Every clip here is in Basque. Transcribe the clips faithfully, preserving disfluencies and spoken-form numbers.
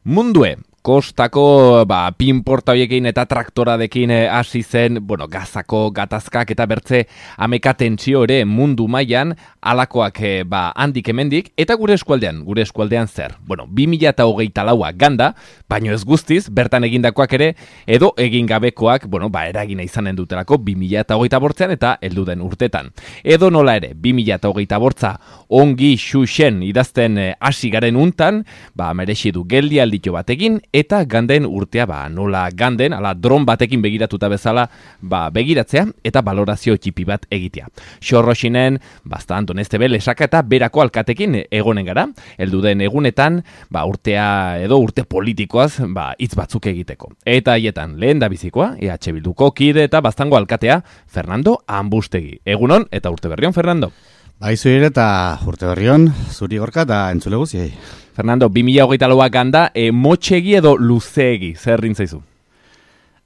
Mundue, kostako ba, pinporta horiekin eta traktoradekin hasi zen, bueno, gazako, gatazkak eta bertze ameka tentsio ere mundu mailan alakoak ba, handik hemendik, eta gure eskualdean, gure eskualdean zer? Bueno, bi mila hogeita laua ganda, baino ez guztiz, bertan egindakoak ere, edo egin gabekoak, bueno, ba, eragina izanen dutelako bi mila hogeita bortzean eta heldu den urtetan. Edo nola ere, bi mila hogeita bortza ongi xuxen idazten hasi garen untan, ba, merexi du geldi aldito batekin, eta ganden urtea, ba, nola ganden, ala dron batekin begiratuta bezala, ba, begiratzea, eta balorazio txipi bat egitea. Xorroxinen, basta Anton Estebel esaka eta berako alkatekin egonen gara, heldu den egunetan, ba, urtea edo urte politikoaz, ba, hitz batzuk egiteko. Eta haietan, lehen da bizikoa, E H Bilduko kide eta baztango alkatea, Fernando Ambustegi. Egunon, eta urte berrion, Fernando. Baizu ere eta urte berrion, zuri gorka eta entzule guziei. Fernando, bi mila hogeita laua ganda, e, motxegi edo luzeegi, zer rintzaizu?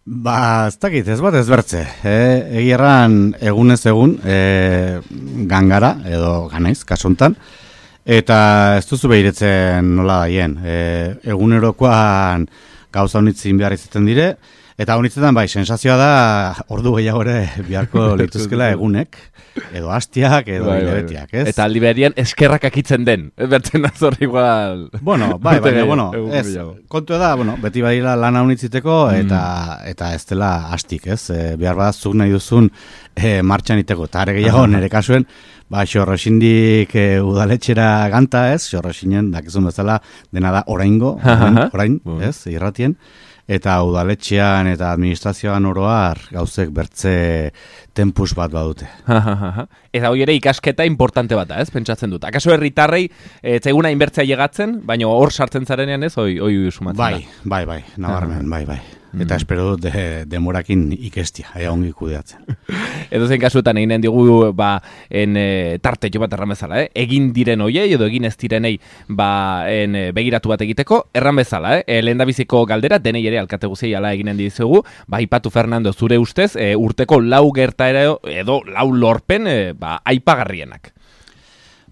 Ba, ez dakit, ez bat ez bertze. E, egi erran egunez egun, e, gangara edo ganaiz, kasontan, eta ez duzu behiretzen nola daien. E, egunerokoan gauza honitzin behar izaten dire, eta honitzetan bai, sensazioa da ordu gehiago ere beharko lituzkela egunek, edo hastiak, edo bai, hilabetiak, ez? Eta aldi beharian eskerrak akitzen den, bertzen azor igual... Bueno, bai, baina, bueno, ez, kontu da, bueno, beti badira lana honitziteko, eta, mm. eta ez dela hastik, ez? E, behar badazuk nahi duzun e, martxan iteko, eta are gehiago nire kasuen, ba, xorroxindik e, udaletxera ganta, ez? Xorroxinen, dakizun bezala, dena da oraingo, orain, orain ez? Irratien. Eta udaletxean eta administrazioan oroar gauzek bertze tempus bat badute. Eta hori ere ikasketa importante bat da, ez? Pentsatzen dut. Akaso herritarrei etzaiguna inbertzea llegatzen, baina hor sartzen zarenean ez, hoi hoi sumatzen bai, da. Bai, bai, nabarmen, bai, bai. Eta espero dut de, demorakin ikestia, ea ongi kudeatzen. Edo zen kasuetan eginen digu ba, en, e, tarte jo bat erran bezala, eh? Egin diren hoiei edo egin ez direnei ba, en, e, begiratu bat egiteko, erran bezala, eh? E, lehen da biziko galdera, denei ere alkate guziei ala eginen dizugu, ba, ipatu Fernando zure ustez, e, urteko lau gertaera edo lau lorpen e, ba, aipagarrienak.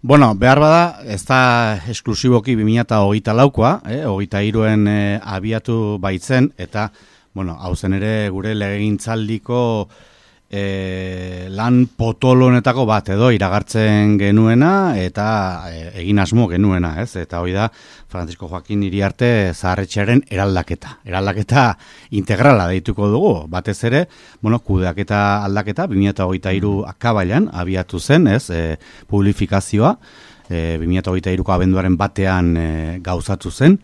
Bueno, behar bada, ez da esklusiboki bi mila hogeita laukoa, eh? hogeita hiruen eh, abiatu baitzen, eta, bueno, hau zen ere gure legegintzaldiko eh, lan potolonetako bat edo iragartzen genuena, eta eh, egin asmo genuena, ez? Eta hori da, Francisco Joaquin Iriarte zaharretxearen eraldaketa. Eraldaketa integrala deituko dugu, batez ere, bueno, kudeaketa aldaketa, bi mila hogeita hiru akabailan abiatu zen, ez, e, publifikazioa, e, bi mila hogeita hiruko abenduaren batean e, gauzatu zen,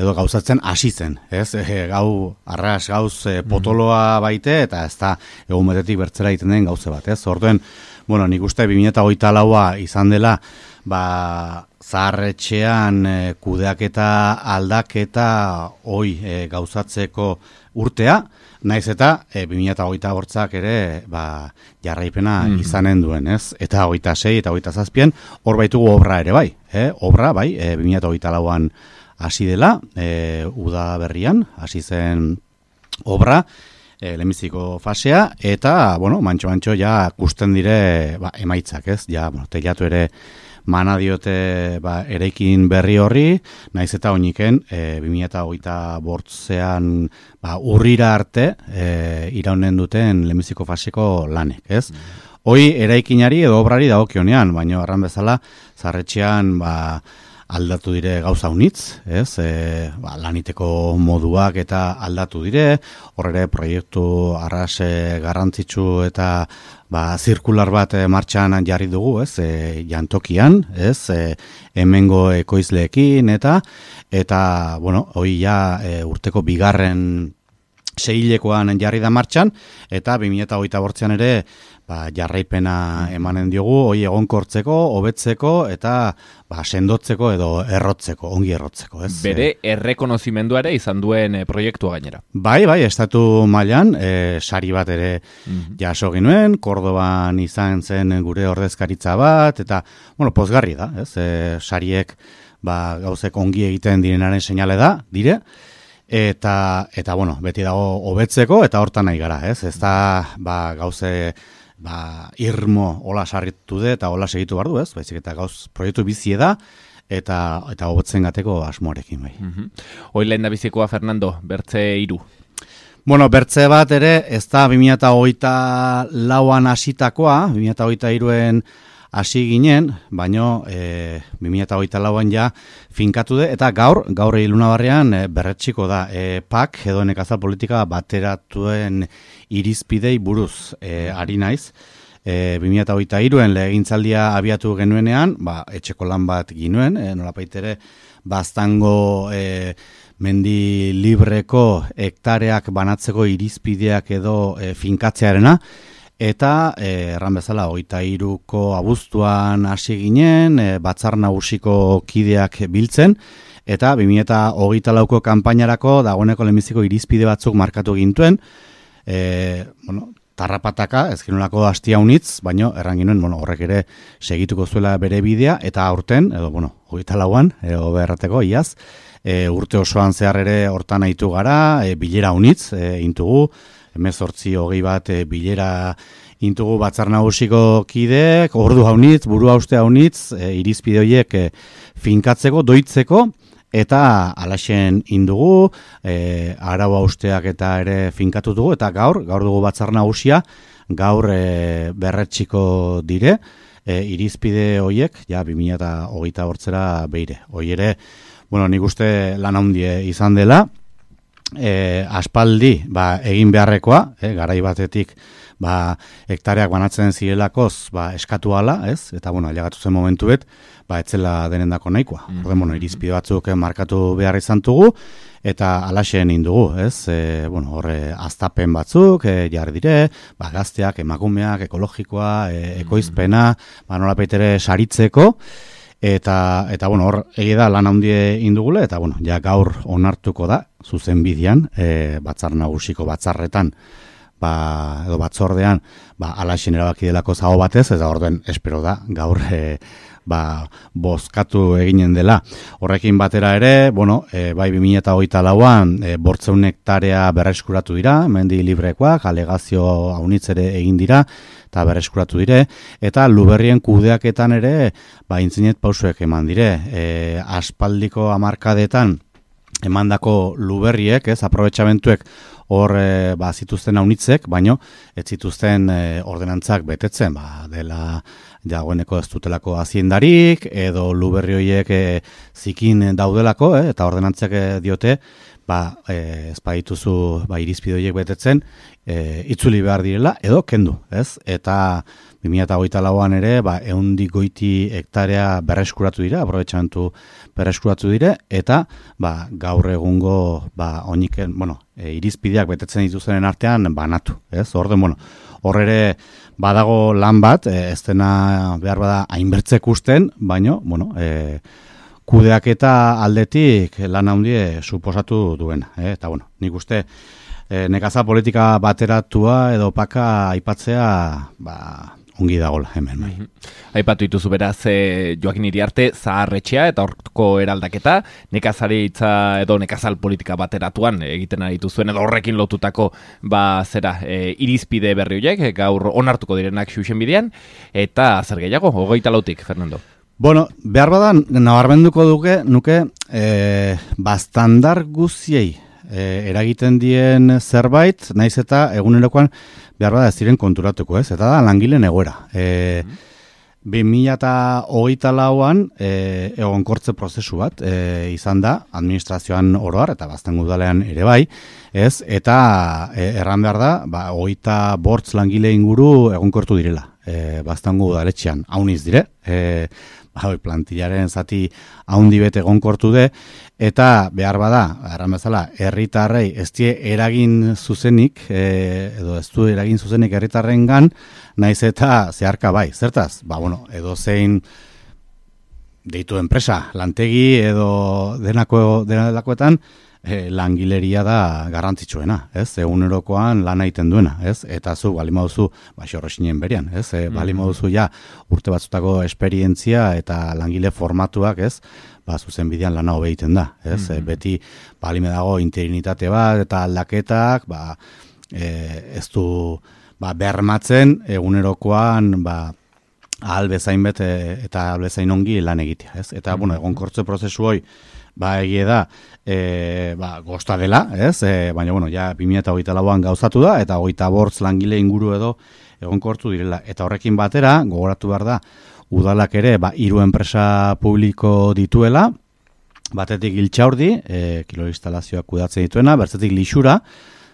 edo gauzatzen hasi zen, ez, e, gau, arras gauz e, potoloa baite, eta ez da egun betetik bertzera egiten den gauze bat, ez, orduen, bueno, nik uste bi mila hogeita laua izan dela, ba, zaharretxean e, kudeaketa aldaketa hoi e, gauzatzeko urtea, naiz eta e, bi mila hogeita bortzak ere ba, jarraipena mm. izanen duen, ez? Eta hogeita sei eta hogeita zazpien hor baitugu obra ere bai, eh? Obra bai, e, bi mila hogeita lauan hasi dela, e, uda berrian, hasi zen obra, e, lehenbiziko fasea, eta, bueno, mantxo-mantxo ja kusten dire ba, emaitzak, ez? Ja, bueno, teilatu ere mana diote ba, eraikin berri horri, naiz eta oiniken, e, bi mila hogeita bortzean ba, urrira arte e, iraunen duten lehenbiziko faseko lanek, ez? Mm. Hoi eraikinari edo obrari dagokionean, baina arran bezala, zarretxean ba, aldatu dire gauza unitz, ez? E, ba, laniteko moduak eta aldatu dire, horre proiektu arras e, garrantzitsu eta ba, zirkular bat e, martxan jarri dugu, ez? E, jantokian, ez? E, hemengo ekoizleekin eta, eta, bueno, hoi ja e, urteko bigarren seihilekoan jarri da martxan, eta bi mila hogeita bortzean ere ba, jarraipena emanen diogu, hoi egonkortzeko, hobetzeko eta ba, sendotzeko edo errotzeko, ongi errotzeko. Ez? Bere errekonozimendua ere izan duen e, proiektua gainera. Bai, bai, estatu mailan, e, sari bat ere mm-hmm. jaso ginuen, Kordoban izan zen gure ordezkaritza bat, eta, bueno, pozgarri da, ez? E, sariek ba, gauzek ongi egiten direnaren seinale da, dire, eta, eta bueno, beti dago hobetzeko, eta hortan nahi gara, ez? Ez da, ba, gauze ba, irmo hola sarritu de eta hola segitu bardu, ez? Baizik eta gauz proiektu bizie da, eta eta hobetzen gateko asmoarekin bai. Mm-hmm. Hoi lehen da bizikoa, Fernando, bertze hiru. Bueno, bertze bat ere, ez da bi mila hogeita lauan hasitakoa, bi mila hogeita hiruen hasi ginen, baino e, bi mila hogeita lauan ja finkatu de, eta gaur, gaur Ilunabarrean e, berretxiko da, e, P A K edo nekazal politika bateratuen irizpidei buruz e, ari naiz. E, bi mila hogeita hiruen legegintzaldia abiatu genuenean, ba, etxeko lan bat ginuen, e, nolapaitere baztango e, mendi libreko hektareak banatzeko irizpideak edo e, finkatzearena, eta eh, erran bezala hogeita hiruko abuztuan hasi ginen, e, batzar nagusiko kideak biltzen, eta bi mila hogeita lauko kanpainarako dagoeneko lehenbiziko irizpide batzuk markatu gintuen, e, bueno, tarrapataka, ez genolako hastia unitz, baino erran ginen, bueno, horrek ere segituko zuela bere bidea, eta aurten, edo, bueno, hogeita lauan, edo berrateko, iaz, e, urte osoan zehar ere hortan aitu gara, e, bilera unitz, e, intugu, hemezortzi hogei bat e, bilera intugu batzar nagusiko kideek, ordu haunitz, buru hauste haunitz, e, irizpide horiek e, finkatzeko, doitzeko, eta alaxen indugu, e, arau hausteak eta ere finkatu dugu, eta gaur, gaur dugu batzar nagusia, gaur e, berretxiko dire, e, irizpide horiek, ja, bi mila hogeita hortzera beire. Hoi ere, bueno, nik uste lan handie izan dela, E, aspaldi ba, egin beharrekoa, e, garai batetik ba, hektareak banatzen zirelakoz ba, eskatu ala, ez? Eta bueno, ailegatu zen momentuet, ba, etzela denendako nahikoa. Mm-hmm. Orden, bueno, irizpide batzuk markatu behar izan dugu, eta alaxen indugu, ez? E, bueno, horre aztapen batzuk, e, jarri dire, ba, gazteak, emakumeak, ekologikoa, e, ekoizpena, ba, nolapaitere saritzeko, Eta, eta bueno, hor egi da lan handie indugule, eta bueno, ja gaur onartuko da, zuzen bidean, e, batzar nagusiko batzarretan, ba, edo batzordean, ba, alaxen erabaki delako zago batez, eta orden espero da, gaur e, ba, bozkatu eginen dela. Horrekin batera ere, bueno, e, bai bi mila hogeita lauan, e, bortzeun hektarea berreskuratu dira, mendi librekoak, alegazio haunitz ere egin dira, eta berreskuratu dire, eta Luberrien kudeaketan ere, ba, intzinet pausuek eman dire. E, aspaldiko hamarkadetan emandako Luberriek, ez, aprobetxamentuek hor e, ba, zituzten haunitzek, baino, ez zituzten e, ordenantzak betetzen, ba, dela dagoeneko ez dutelako haziendarik, edo Luberri horiek e, zikin daudelako, e, eta ordenantzak e, diote, ba, e, ez badituzu ba, irizpide horiek betetzen, e, itzuli behar direla, edo kendu, ez? Eta bi mila hogeita lauan ere, ba, ehundik goiti hektarea berreskuratu dira, aprobetxamentu berreskuratu dire, eta ba, gaur egungo ba, oiniken, bueno, e, irizpideak betetzen dituzenen artean banatu, ez? Orden, bueno, hor ere badago lan bat, e, ez dena behar bada hainbertzek usten, baino, bueno, e, kudeaketa aldetik lan handie suposatu duena. Eh? Eta bueno, nik uste e, nekaza politika bateratua edo paka aipatzea ba, ongi dagola hemen. Bai. Mm-hmm. Aipatu dituzu beraz e, Joakin Iriarte zaharretxea eta horko eraldaketa nekazaritza edo nekazal politika bateratuan egiten aritu zuen edo horrekin lotutako ba, zera, e, irizpide berri horiek gaur onartuko direnak xuxen bidean eta zer gehiago, hogeita lautik, Fernando. Bueno, behar badan, nabarmenduko duke, nuke, e, bastandar guziei e, eragiten dien zerbait, naiz eta egunerokoan behar bada ez ziren konturatuko, ez? Eta da langileen egoera. E, bi mila hogeita lauan e, egonkortze prozesu bat e, izan da, administrazioan oroar, eta baztango udalean ere bai, ez? Eta e, erran behar da, ba, hogeita bortz langile inguru egonkortu direla, e, baztango udaletxean, hauniz dire, e, ba, plantillaren zati haundi bete egonkortu de, eta behar bada, erran bezala, herritarrei ez die eragin zuzenik, e, edo ez du eragin zuzenik herritarren gan, naiz eta zeharka bai, zertaz? Ba, bueno, edo zein deitu enpresa, lantegi edo denako, denadakoetan, E, langileria da garrantzitsuena, ez? Egunerokoan lan egiten duena, ez? Eta zu, bali mauzu, ba, xorrexinen berian, ez? E, bali mauzu ja urte batzutako esperientzia eta langile formatuak, ez? Ba, zuzen bidean lana hobe egiten da, ez? Mm-hmm. E, beti, bali dago interinitate bat eta aldaketak, ba, e, ez du, ba, bermatzen egunerokoan, ba, ahal bezain bet eta ahal bezain ongi lan egitea, ez? Eta, bueno, egonkortze prozesu hoi, ba, egie da, e, ba, gosta dela, ez? E, baina, bueno, ja, bi mila hogeita lauan gauzatu da, eta hogeita bortz langile inguru edo egonkortu direla. Eta horrekin batera, gogoratu behar da, udalak ere, ba, hiru enpresa publiko dituela, batetik Iltxaurdi, e, kilo instalazioak kudatzen dituena, bertzetik Lixura,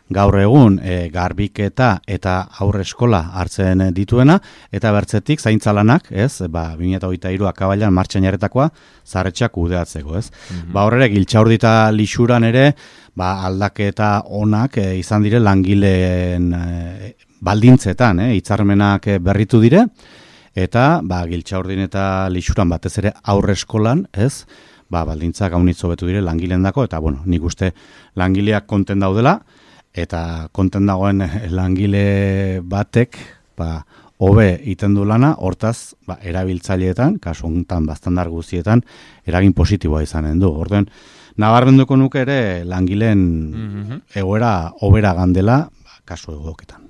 gaur egun e, garbiketa eta aurre eskola hartzen dituena, eta bertzetik zaintzalanak, ez, ba, bi mila hogeita hiru akabailan martxan jarretakoa zarretxak kudeatzeko, ez. Mm-hmm. Ba, horrek Iltxaurdi eta Lixuran ere, ba, aldaketa onak e, izan dire langileen e, baldintzetan, e, hitzarmenak berritu dire, eta, ba, Iltxaurdin eta Lixuran batez ere aurre eskolan, ez, ba, baldintzak haunitz hobetu dire langileen dako, eta, bueno, nik uste langileak konten daudela, eta konten dagoen langile batek, ba, hobe iten du lana, hortaz, ba, erabiltzaileetan, kasu honetan bastandar guztietan, eragin positiboa izanen du. Orduen, nabarmenduko nuke ere langileen mm-hmm. egoera hobera gandela, ba, kasu egoketan.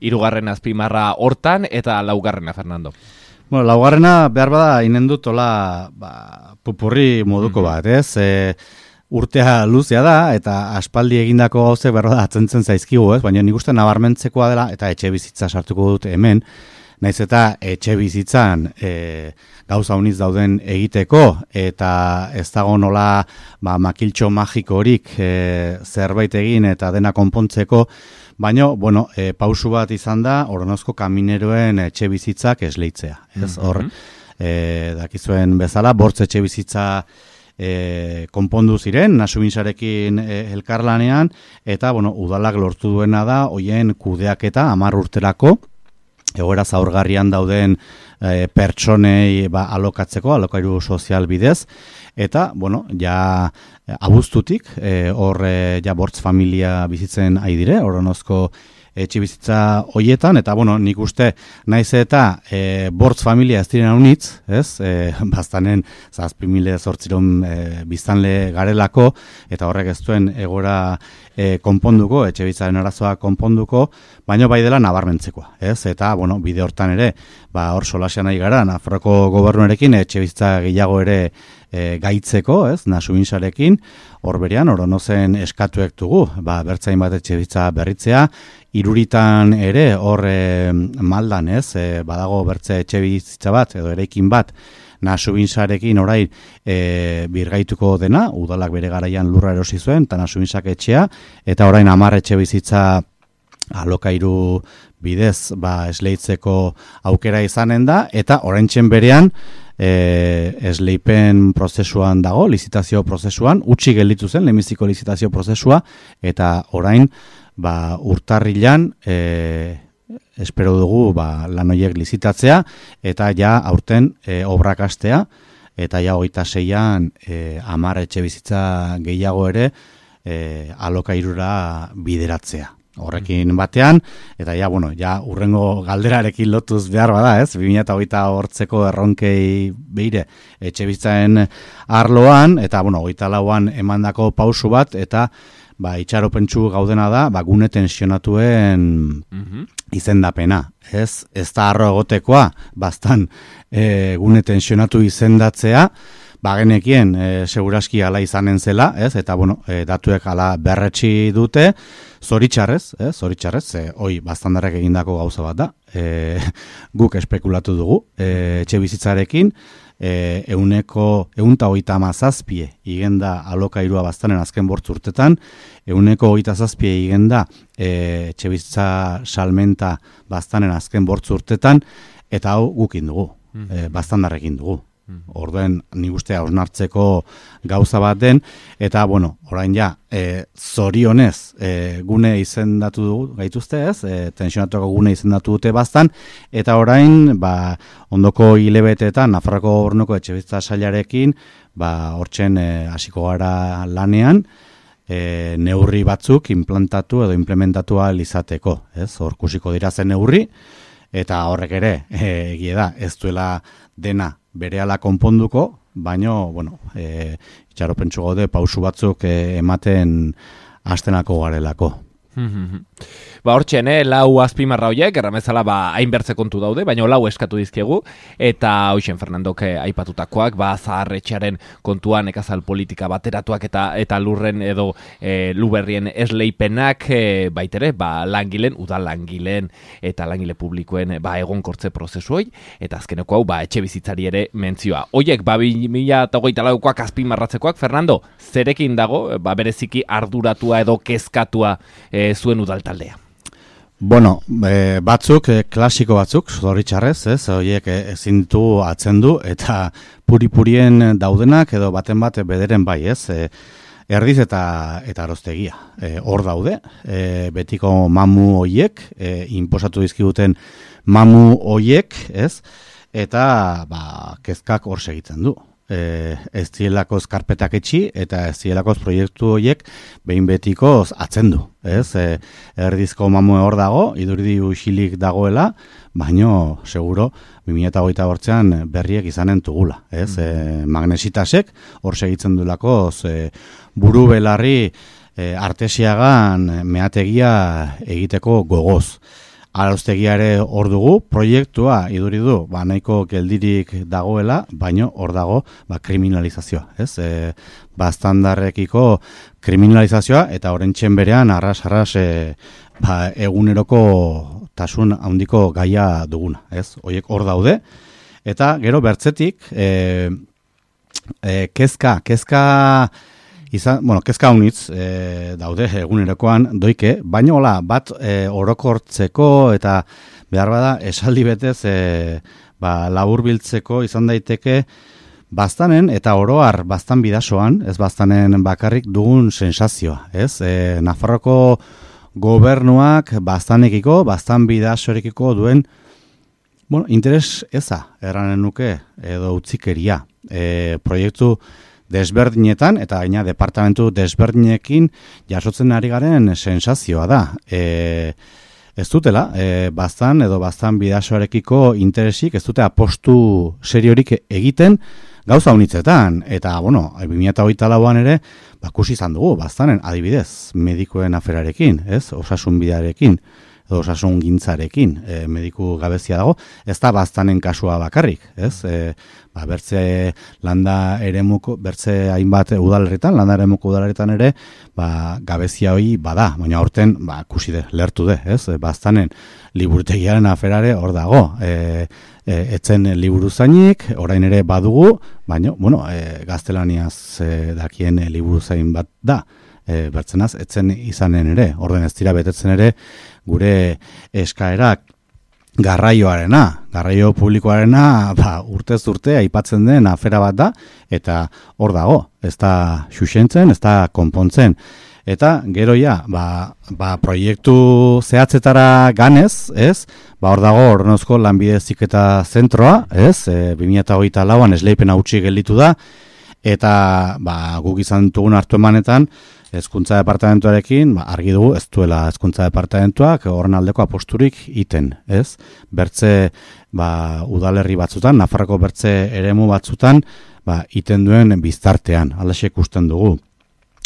Hirugarren azpimarra hortan eta laugarrena, Fernando. Bueno, laugarrena behar bada inen dut ola, ba, pupurri moduko mm-hmm. bat, ez? E, urtea luzea da, eta aspaldi egindako gauze berro da atzentzen zaizkigu, ez? Baina nik uste nabarmentzekoa dela, eta etxe bizitza sartuko dut hemen, naiz eta etxe bizitzan e, gauza uniz dauden egiteko, eta ez dago nola ba, makiltxo magikorik e, zerbait egin eta dena konpontzeko, baina, bueno, e, pausu bat izan da, Oronozko kamineroen etxe bizitzak esleitzea. Ez hor, mm-hmm. e, dakizuen bezala, bortz etxe bizitza E, konpondu ziren, Nasubinsarekin e, elkarlanean, eta, bueno, udalak lortu duena da, hoien kudeaketa hamar urterako, egoera zaurgarrian dauden e, pertsonei ba, alokatzeko, alokairu sozial bidez, eta, bueno, ja abuztutik, e, hor e, ja bortz familia bizitzen ari dire, Oronozko etxe bizitza hoietan, eta, bueno, nik uste naiz eta e, bortz familia ez diren haunitz, ez, e, bastanen zazpi mila zortziron e, biztanle garelako, eta horrek ez duen egora e, konponduko, etxe bizitzaren arazoa konponduko, baina bai dela nabarmentzekoa, ez, eta, bueno, bide hortan ere, ba, hor solasean nahi gara, Nafarroko gobernuarekin etxe bizitza gehiago ere e, gaitzeko, ez, Nasubinsarekin, hor berean, Oronozen eskatuek dugu, ba, bertzain bat etxe bizitza berritzea, Iruritan ere hor e, maldan, ez, e, badago bertze etxe bizitza bat, edo eraikin bat, Nasubinsarekin orain e, birgaituko dena, udalak bere garaian lurra erosi zuen, eta Nasubinsak etxea, eta orain hamar etxe bizitza alokairu bidez ba, esleitzeko aukera izanen da, eta oraintzen berean e, esleipen prozesuan dago, lizitazio prozesuan, utzi gelditu zen, lehenbiziko lizitazio prozesua, eta orain ba, urtarrilan e, espero dugu ba, lan horiek lizitatzea, eta ja aurten e, obrak hastea, eta ja hogeita seian e, hamar etxe bizitza gehiago ere e, alokairura bideratzea. Horrekin batean, eta ja, bueno, ja urrengo galderarekin lotuz behar bada, ez? bi mila hogeita hortzeko erronkei beire etxe bizitzaren arloan, eta, bueno, hogeita lauan emandako pausu bat, eta ba, itxaropentsu gaudena da, ba, gune tensionatuen mm-hmm. izendapena, ez? Ez da arro egotekoa, bastan e, gune tensionatu izendatzea, ba, genekien e, seguraski ala izanen zela, ez? Eta, bueno, e, datuek ala berretsi dute, zoritxarrez, ez? Zoritxarrez, e, hoi, bastandarrak egindako gauza bat da, e, guk espekulatu dugu, e, etxe bizitzarekin, E, euneko eunta hogeita hamazazpie igenda alokairua bastanen azken bortz urtetan, euneko hogeita zazpie igenda e, etxebizitza salmenta bastanen azken bortz urtetan, eta hau gukin dugu, mm. e, bastandarrekin dugu. Mm. Orduen nik uste hausnartzeko gauza bat den, eta bueno, orain ja, e, zorionez e, gune izendatu dugu, gaituzte ez, e, tensionatuako gune izendatu dute bastan, eta orain, ba, ondoko hilebeteetan, Nafarroko Gobernuko etxebizitza sailarekin, ba, hortzen hasiko gara lanean, e, neurri batzuk implantatu edo implementatua izateko, ez, hor kusiko dira zen neurri, eta horrek ere, egie da, ez duela dena berehala konponduko, baino, bueno, e, itxaropentsu gaude pausu batzuk e, ematen hastenako garelako. Ba hortxen, eh, lau azpimarra horiek, erramezala ba, hainbertze kontu daude, baina lau eskatu dizkiegu, eta hoxen Fernandok eh, aipatutakoak, ba zaharretxearen kontuan, ekazal politika bateratuak eta eta lurren edo eh, luberrien esleipenak, eh, baitere, ba langilen, udal langilen eta langile publikoen ba egonkortze prozesu hoi, eta azkeneko hau ba etxe bizitzari ere mentzioa. Hoiek ba bi mila hogeita laukoak azpimarratzekoak, Fernando, zerekin dago, ba bereziki arduratua edo kezkatua eh, zuen udal taldea? Bueno, e, batzuk, e, klasiko batzuk, zoritxarrez, ez, horiek ezin du atzendu, eta puri-purien daudenak, edo baten bat bederen bai, ez, e, erdiz eta eta aroztegia. E, hor daude, e, betiko mamu horiek, e, inposatu dizkiguten mamu horiek, ez, eta ba, kezkak hor segitzen du. E, ez zielakoz karpetak etxi eta ez zielakoz proiektu horiek behin betikoz atzendu, ez? E, erdizko mamue hor dago, idurdi uxilik dagoela, baino seguro bi mila hogeita bortzean berriek izanen tugula, ez? E, magnesitasek hor segitzen dulakoz e, buru belarri e, artesiagan meategia egiteko gogoz. Arauztegiare hor dugu, proiektua iduri du, ba, nahiko geldirik dagoela, baino hor dago ba, kriminalizazioa. Ez? E, ba, standarrekiko kriminalizazioa eta orentxen berean arras-arras e, ba, eguneroko tasun handiko gaia duguna. Ez? Hoiek hor daude. Eta gero bertzetik, e, e, kezka, kezka... Izan, bueno, kezka unitz e, daude egunerokoan doike, baina hola, bat e, orokortzeko eta behar bada esaldi betez e, ba, laburbiltzeko izan daiteke baztanen eta oroar baztan bidasoan, ez baztanen bakarrik dugun sensazioa, ez? E, Nafarroko gobernuak baztanekiko, baztan bidasorekiko duen bueno, interes eza, erranen nuke, edo utzikeria. E, proiektu desberdinetan, eta gaina departamentu desberdinekin jasotzen ari garen sensazioa da. E, ez dutela, e, baztan edo baztan bidasoarekiko interesik, ez dute apostu seriorik egiten gauza unitzetan. Eta, bueno, bi mila hogeita lauan ere, bakusi izan dugu, baztanen adibidez, medikoen aferarekin, ez? Osasun bidearekin, edo osasun gintzarekin, e, mediku gabezia dago, ez da baztanen kasua bakarrik, ez? E, ba, bertze landa eremuko, bertze hainbat udalerritan, landa eremuko udalerritan ere, ba, gabezia hori bada, baina horten, ba, kusi de, lertu de, ez? E, baztanen liburutegiaren aferare hor dago, e, e, etzen liburu zainik, orain ere badugu, baina, bueno, e, gaztelaniaz e, dakien liburu zain bat da, e, bertzenaz, etzen izanen ere, orden ez dira betetzen ere, gure eskaerak garraioarena, garraio publikoarena ba, urtez urte aipatzen den afera bat da, eta hor dago, ez da xuxentzen, ez da konpontzen. Eta gero ja, ba, ba, proiektu zehatzetara ganez, ez? Ba, hor dago Hornozko lanbide heziketa zentroa, ez? E, bi mila hogeita lauan esleipena utzi gelditu da, eta ba, guk izan dugun hartu emanetan, Hezkuntza departamentuarekin, ba, argi dugu, ez duela hezkuntza departamentuak horren aldeko aposturik iten, ez? Bertze, ba, udalerri batzutan, Nafarroko bertze eremu batzutan, ba, iten duen biztartean, alaxe ikusten dugu.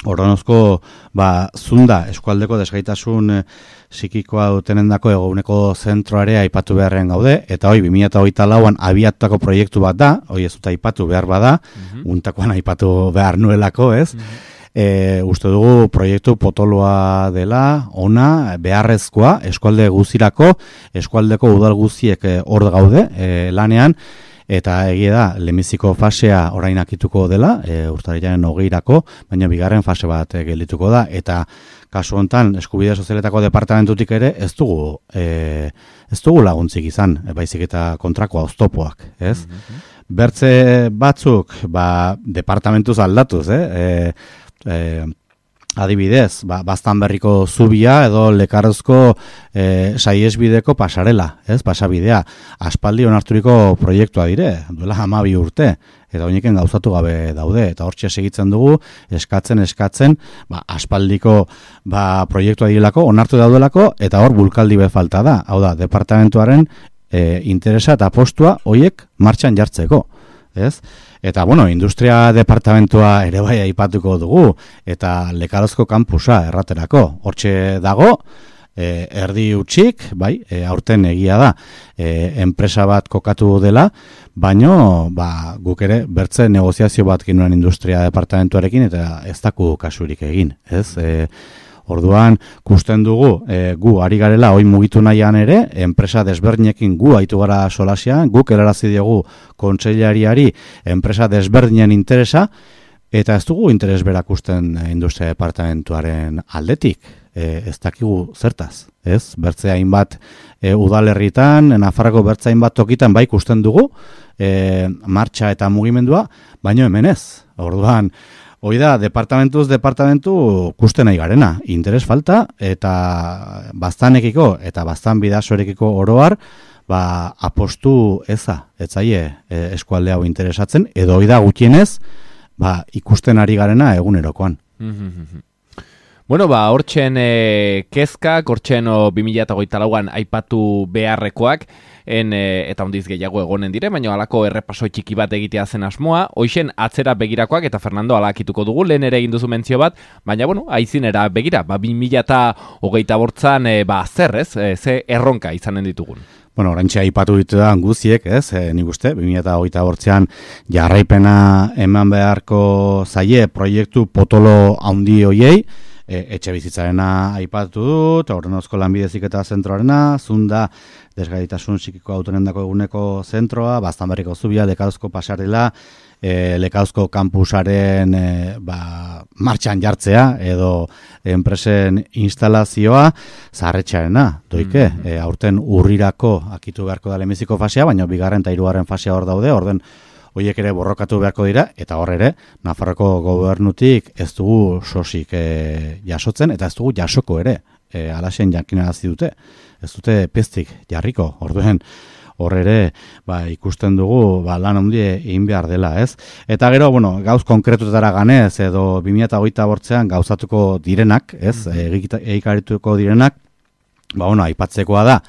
Horrenozko, ba, zunda, eskualdeko desgaitasun e, psikikoa dutenendako eguneko zentroare aipatu beharren gaude, eta hoi, bi mila hogeita lauan abiatutako proiektu bat da, hoi ez dut aipatu behar bada, mm-hmm. untakoan aipatu behar nuelako, ez? Mm-hmm. E, uste dugu proiektu potoloa dela, ona, beharrezkoa, eskualde guzirako, eskualdeko udal guziek hor e, gaude, e, lanean, eta egia da, lehenbiziko fasea orain akituko dela, e, urtarrilaren hogeirako, baina bigarren fase bat e, geldituko da, eta kasu honetan, eskubide sozialetako departamentutik ere, ez dugu, e, ez dugu laguntzik izan, e, baizik eta kontrakoa oztopoak, ez? Mm-hmm. Bertze batzuk, ba, departamentuz aldatuz, eh? E, Eh, adibidez, ba, baztan berriko zubia edo lekarrozko eh, saiesbideko pasarela, ez, pasabidea, aspaldi onarturiko proiektua dire, duela hamabi urte, eta oineken gauzatu gabe daude, eta hortxe segitzen dugu, eskatzen, eskatzen, ba, aspaldiko ba, proiektua direlako, onartu daudelako, eta hor bulkaldi be falta da, hau da, departamentuaren eh, interesa eta postua hoiek martxan jartzeko. Ez? Eta, bueno, industria departamentua ere bai aipatuko dugu, eta Lekarozko kampusa erraterako. Hortxe dago, e, erdi utxik, bai, e, aurten egia da, e, enpresa bat kokatu dela, baino, ba, guk ere, bertze negoziazio bat ginuen industria departamentuarekin, eta ez daku kasurik egin, ez? E, Orduan, kusten dugu, e, gu ari garela, oin mugitu nahian ere, enpresa desberdinekin gu haitu gara solasian, guk erarazi diogu kontseilariari enpresa desberdinen interesa, eta ez dugu interes berak usten industria departamentuaren aldetik, e, ez dakigu zertaz, ez? Bertze hainbat e, udalerritan, Nafarroko bertze hainbat tokitan bai kusten dugu, e, martxa eta mugimendua, baino hemen ez. Orduan, hoi da, departamentuz, departamentu kusten nahi garena. Interes falta eta baztanekiko eta baztan bidasorekiko oroar, ba, apostu eza, etzaie e, eskualde hau interesatzen, edo hoi da gutienez, ba, ikusten ari garena egunerokoan. Bueno, ba, hortxen e, kezkak, hortxen bi mila hogeita lauan aipatu beharrekoak, en, e, eta ondiz gehiago egonen dire, baina halako errepaso txiki bat egitea zen asmoa, hoixen atzera begirakoak, eta Fernando alakituko dugu, lehen ere egin duzu mentzio bat, baina, bueno, aizinera begira, ba, bi mila hogeita bortzan, e, ba, zer, ez, e, ze erronka izanen ditugun. Bueno, orantxe aipatu ditu da guziek, ez, e, nik uste, bi mila hogeita bortzean jarraipena eman beharko zaie proiektu potolo handi hoiei, E, etxe bizitzarena aipatu dut, Aurrenozko lanbidez iketa zentroarena, Zunda desgaitasun psikiko autonendako eguneko zentroa, Baztanberriko zubia, Lekarozko pasarela, e, Lekarozko kampusaren e, ba, martxan jartzea, edo enpresen instalazioa, zaharretxearena, doike, mm-hmm. e, aurten urrirako akitu beharko da lehenbiziko fasea, baina bigarren eta hirugarren fasea hor daude, orden horiek ere borrokatu beharko dira, eta hor ere, Nafarroko gobernutik ez dugu sosik e, jasotzen, eta ez dugu jasoko ere, e, alaxen jakinarazi dute, ez dute peztik jarriko, orduen hor ere, ba, ikusten dugu, ba, lan handie egin behar dela, ez? Eta gero, bueno, gauz konkretutara ganez, edo bi mila hogeita bortzean gauzatuko direnak, ez? Mm-hmm. Egikarituko direnak, ba, bueno, aipatzekoa da,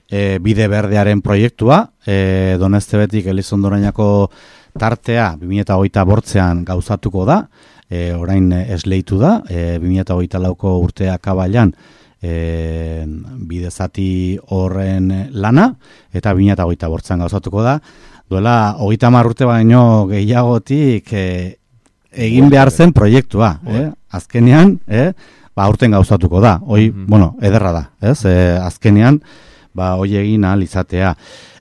E, bide berdearen proiektua, e, Donestebetik Elizondorainako tartea bi mila hogeita bortzean gauzatuko da, e, orain esleitu da, e, bi mila hogeita lauko urtea kabailan e, bide zati horren lana, eta bi mila hogeita bortzean gauzatuko da, duela hogeita hamar urte baino gehiagotik e, egin behar zen proiektua, eh? Azkenean, eh? ba, aurten gauzatuko da, hoi, mm-hmm. bueno, ederra da, ez? E, azkenean, ba, hoi egin ahal izatea.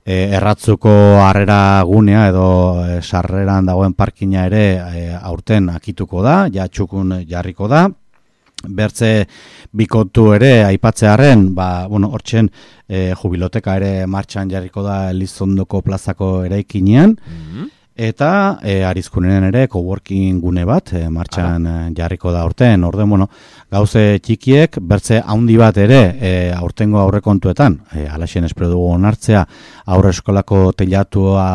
E, erratzuko harrera gunea edo e, sarreran dagoen parkina ere e, aurten akituko da, ja txukun jarriko da. Bertze bikotu ere aipatzearen, ba, bueno, hortzen e, jubiloteka ere martxan jarriko da Elizondoko plazako eraikinean, mm-hmm. eta e, Arizkunen ere coworking gune bat e, martxan e, jarriko da aurten. Orden, bueno, gauze txikiek, bertze handi bat ere e, aurtengo aurrekontuetan, e, alaxen espero dugu onartzea aurre eskolako teilatua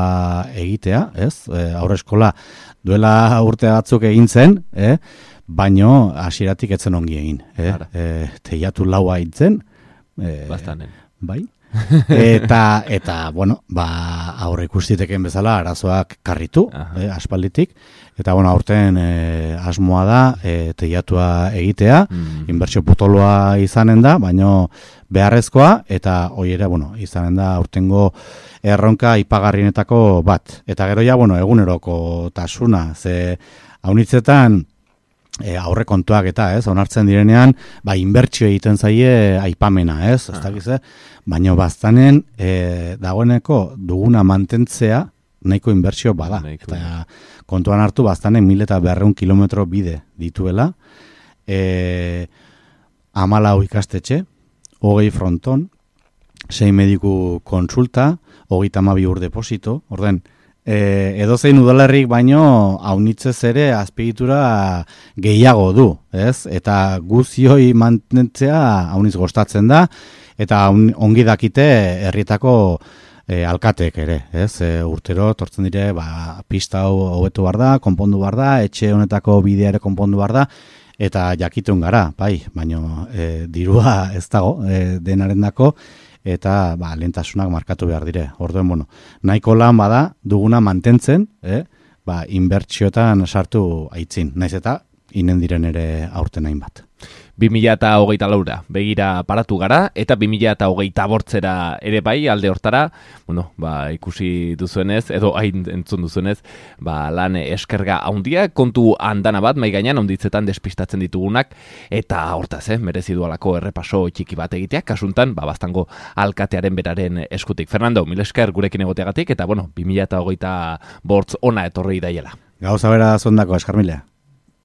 egitea, ez? E, aurre eskola duela urte batzuk egin zen, eh? Baino hasieratik etzen ongi egin. Eh? E, teilatu laua hitzen. E, Bastanen. Bai. eta, eta, bueno, ba, aurre ikustiteken bezala arazoak karritu, eh, aspalditik, eta, bueno, aurten eh, asmoa da eh, teilatua egitea, mm. inbertsio potoloa izanen da, baino beharrezkoa, eta hoi ere, bueno, izanen da aurtengo erronka ipagarrienetako bat. Eta gero ja, bueno, eguneroko tasuna, ze haunitzetan, E, aurre kontuak eta, ez, onartzen direnean, ba, inbertsio egiten zaie aipamena, ez, ez dakiz, baina baztanen e, dagoeneko duguna mantentzea nahiko inbertsio bada. Nahiko. Eta kontuan hartu baztanen mil eta berreun kilometro bide dituela, e, amalau ikastetxe, hogei fronton, sei mediku konsulta, hogeita hamabi ur deposito, orden, E, edo zein udalerrik baino haunitzez ere azpiegitura gehiago du, ez? Eta guzioi mantentzea hauniz gostatzen da, eta ongi dakite herrietako e, alkatek ere, ez? E, urtero tortzen dire, ba, pista hau hobetu behar da, konpondu behar da, etxe honetako bidea ere konpondu behar da, eta jakitun gara, bai, baino e, dirua ez dago e, denarendako, eta ba, lehentasunak markatu behar dire. Orduen, bueno, nahiko lan bada duguna mantentzen, eh? ba, inbertsiotan sartu aitzin, naiz eta inen diren ere aurten hainbat. bi mila hogeita laura begira paratu gara, eta bi mila hogeita bortzera ere bai alde hortara, bueno, ba, ikusi duzuenez, edo hain entzun duzuenez, ba, lan eskerga handia, kontu handana bat, mai gainean onditzetan despistatzen ditugunak, eta hortaz, eh, merezi dualako errepaso txiki bat egiteak, kasuntan, ba, Baztango alkatearen beraren eskutik. Fernando, mil esker gurekin egoteagatik, eta bueno, bi mila hogeita bortz ona etorri daiela. Gauza bera zondako, eskarmilea.